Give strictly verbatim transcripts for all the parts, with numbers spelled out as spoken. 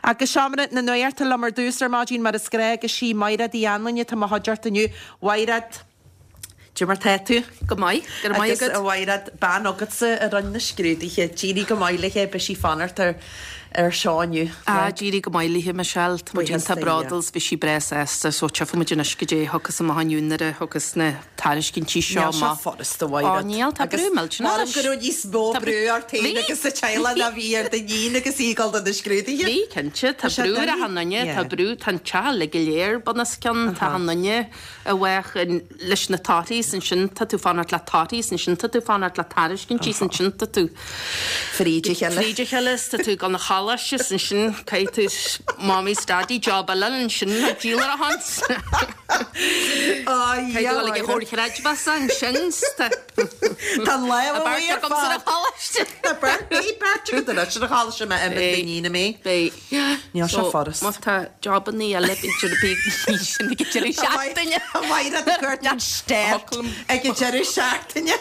Agus seomra na nuachta liom ar dtús ar maidin mar is gnách agus sí Mairéad Uí Anluain atá i mo chuideachta inniu. Mairéad, Cad é mar tá tú? Go maith, go raibh maith Agus agat. a Mhairéad bean agatsa a rinne na scrúduithe, d'éirigh go maith léi beidh sí ag fanacht ar ar seo inniu. Ah, d'éirigh go maith léi Michelle, Tá muid Buíochas iontach do Dhia. bródúil bhí sí breá sásta so tchífidh muid anois cad é a thiocfas amach inniu nuair a thiocfas na tairiscintí seo Níl sé amach. furasta a Mhairéad. Ó, níl, tá brú millteanach Mar go raibh níos mó Tá brú ort féin Bhí. agus sa teaghlach ná bhí ar d'iníon agus í ag dul do na scrúduithe. Bhí cinnte, tá Tá sé brú ar doiligh. achan duine, tá Yeah. brú tá an teach le go léir bunoscionn, tá achan duine a bheadh in- leis na torthaí ansin tá tú fanacht le torthaí ansin tá tú fanacht le tairiscintí ansin tá tú Fríd a chéile. Fríd a chéile tá tú gan na choláiste ansin caithfidh tú mommy's daddy job eile ansin a díol a hans. Á, Caithfidh tú ag chóir chreidmheasa ansin Tá lá A beirt agamsa ar an choláiste. Tá beirt beirt agat anois ar an choláiste me im d'iníon mé. Beidh. Níl sé furast. Má tá jobanna eile b'fhéidir bí sin ag deireadh seachtaine. Mhairéad ag cur an stert ag an deireadh seachtaine.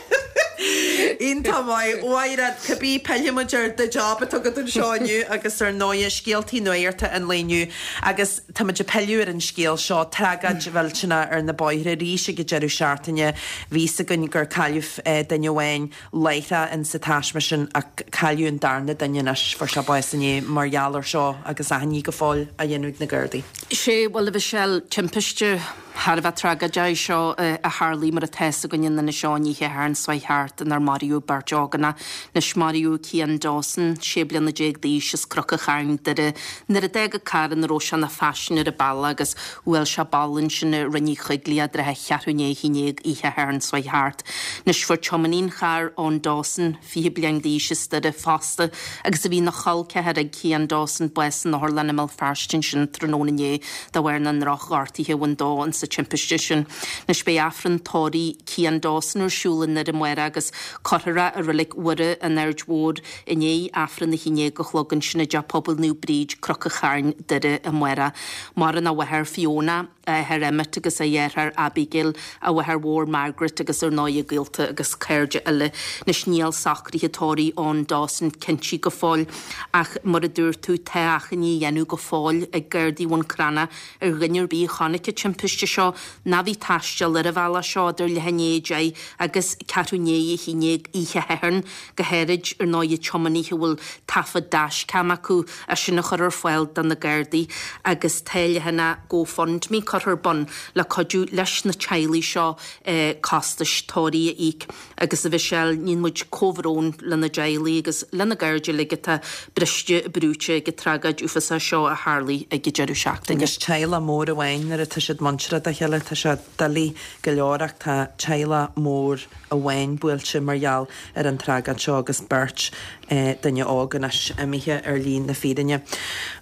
Iontach maith Mhairéad cibé pillfimid ar do job atá agat anseo inniu agus ar ndóigh scéaltaí nuachta an lae inniu agus táimid ag pilleadh ar an scéal seo tragóid mhillteanach ar na bóithre arís ag an deireadh seachtaine bhí a fhios againn gur cailleadh eh, duine amháin láithreach in sa taisme sin ach cailleadh an darna duine anois fuair sé bás inné mar gheall air seo agus achainí go fóill á dhéanamh ag na Gardaí. Sé bhuel a Mhichelle timpiste thar a bheith tragóideach seo eh, a tharla mar atá a fhios againn in seo oíche Shathairn seo thart inar maraíodh beirt ógánach anois maraíodh Cian Dawson sé bliana déag d'aois as Cnoc an Chairn Doire nuair a d'fhág a carr ina raibh sé ina phaisinéir an bealach agus bhuail sé balla ansin i Rinn Uí Choigligh i dtrátha cheathrú i ndiaidh a haon déag oíche Shathairn seo thart. Anois fuair tiománaí an chairr Eoin Dawson fiche bliain d'aois as Doire fosta agus a bhí ina chol ceathar ag Cian Dawson bás in otharlann i mBéal Feirste ansin tráthnóna inné de bharr na ndrochghortuithe a bhain dó an sa timpiste sin. Anois beidh Aifreann tórraimh Cian Dawson ar siúl i nDoire amárach agus cuirfear é i Reilig Mhuire an Aird Mhóir i ndiaidh Aifreann a haon déag a chlog ansin i dTeach Pobail Naomh Bríd Cnoc an Chairn Doire amárach. Maireann a mháthair Fiona a athair Emmet agus a dheartháir Abigail a mháthair mhór Margaret agus ar ndóigh gaolta agus cairde eile. Anois níl socruithe tórraimh Eoin Dawson cinnte go fóill ach mar a dúirt tú tá achainí á dhéanamh go fóill ag Gardaí Bhun Cranncha ar dhuine ar bith a chonaic an timpiste seo ná bhí ag taisteal ar an bhealach seo idir leath i ndiaidh a deich agus ceathrú i ndiaidh a haon déag oíche Shathairn go háirid ar ndóigh tiománaithe a bhfuil taifead dashcam acu a sin a chur ar fáil do na Gardaí agus tá leathanach GoFundMe curtha ar bun le cuidiú leis na teaghlaigh seo eh, costais tórraimh a íoc agus a Mhichelle níonn muid comhbhrón lena dteaghlaigh agus lena gcairde uilig atá briste brúite ag an tragóid uafásach seo a tharla ag an deireadh seachtaine. Agus teaghlach mór amháin nuair atá siad muinteartha dá chéile tá sé doiligh go leor ach tá teaghlach mór amháin buailte mar gheall ar an tragóid seo agus beirt eh, duine óg anois imithe ar shlí na fírinne.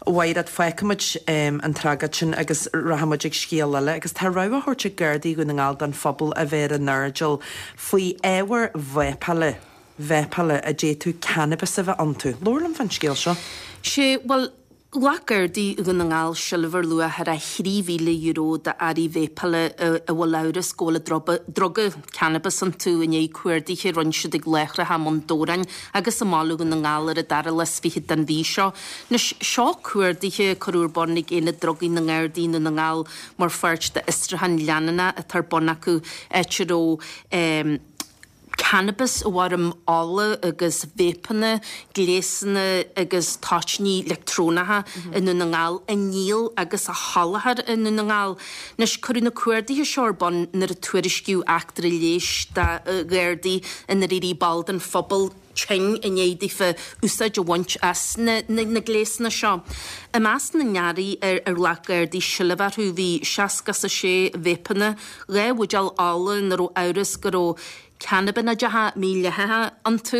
Mhairéad fágfaimid um, an tragóid sin agus rachaimid ag scéal eile agus tá rabhadh á thabhairt ag Gardaí Dhún na nGall don phobal a bheith ar a n-airdeall faoi ábhair vápála vápála a d'fhéadfadh cannabis a bheith iontu. Labhair liom faoin scéal seo. Sé bhuel Ghlac Gardaí Dhún na nGall seilbh ar luach thar trí mhíle euro d'earraí vápála a bhfuil amhras go bhfuil a druga cannabis iontu i ndiaidh cuardaithe a rinne siad ag láithreacha i mBun Dobhráin agus i mBaile Dhún na nGall ar an dara lá is fiche den mhí seo. Anois seo cuardaithe curtha ar bun ag Aonad Drugaí na nGardaí Dhún na nGall mar pháirt d'fhiosrúchán leanúnach atá ar bun acu áit a raibh um, cannabis i bhfoirm ola agus vapeanna, gléasanna agus toitíní leictreonacha i nDún na nGall á ndíol agus á sholáthar i nDún na nGall. Anois cuireadh na cuardaithe seo ar bun nuair a tuairiscíodh eachtra leighis do Ghardaí inar éirigh ball den phobal tinn i ndiaidh daofa úsáid a bhaint as na, na, na gléasanna seo. I measc na n-earraí ar ar ghlac Gardaí seilbh orthu bhí seasca a sé vapeanna, dhá bhuidéal ola ina raibh amhras go raibh cannabinoideacha mídhleathacha iontu,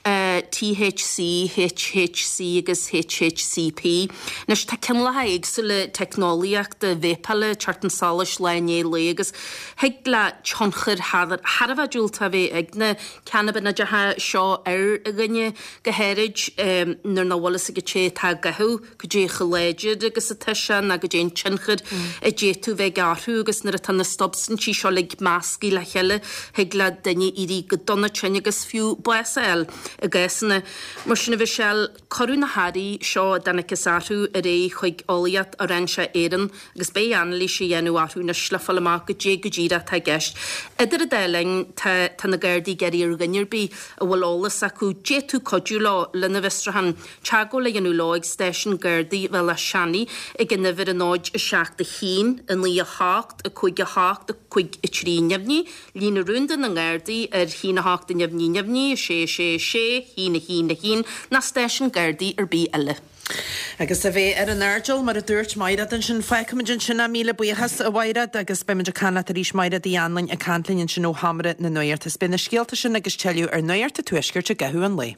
uh, THC, HHC agus HHCP. Anois tá cineálacha éagsúla teicneolaíochta vápála ag teacht chun solais lá i ndiaidh lae agus thig le tionchar thar a bheith diúltach a bheith ag na cannabinoideacha seo ar dhuine go háirid um, nuair nach bhfuil a fhios ag an té atá á gcaitheamh cad é chomh láidir agus atá sé ná cad é an tionchar a d'fhéadfadh bheith orthu agus nuair atá na substaintí seo le measctha le chéile thig le duine duine éirí go dona tinn agus fiú bás a fháil i gcásanna mar sin. A Mhichelle, cuireadh na hearraí seo a dtángthas orthu ar aghaidh chuig Eolaíocht Fhoireinseach Éireann agus beidh anailís á dhéanamh orthu anois le fáil amach goidé go díreach atá i gceist. Idir an dá linn tá tá na Gardaí ag iarraidh ar dhuine ar bith a bhfuil eolas acu d'fhéadfadh cuidiú leo lena bhfiosrúchán teagmháil a dhéanamh leo ag stáisiún Gardaí Bhealach Seanaidh ag an uimhir a náid a seacht a haon, a naoi a hocht, a cúig a hocht, a cúig a trí neamhní, líne rúnda na nGardaí ar haon a hocht a neamhní neamhní, a sé a sé a sé, haon a haon a haon, ná stáisiún Gardaí ar bith eile. Agus a bheith ar an airdeall mar a dúirt Mairéad ansin fágfaimid ansin é míle buíochas a Mhairéad agus beimid ag caint leat arís Mairéad Uí Anluain ag caint linn ansin ó Sheomra na Nuachta. Beidh na scéalta sin agus tuilleadh ar Nuacht an Tuaiscirt i gcaitheamh an lae.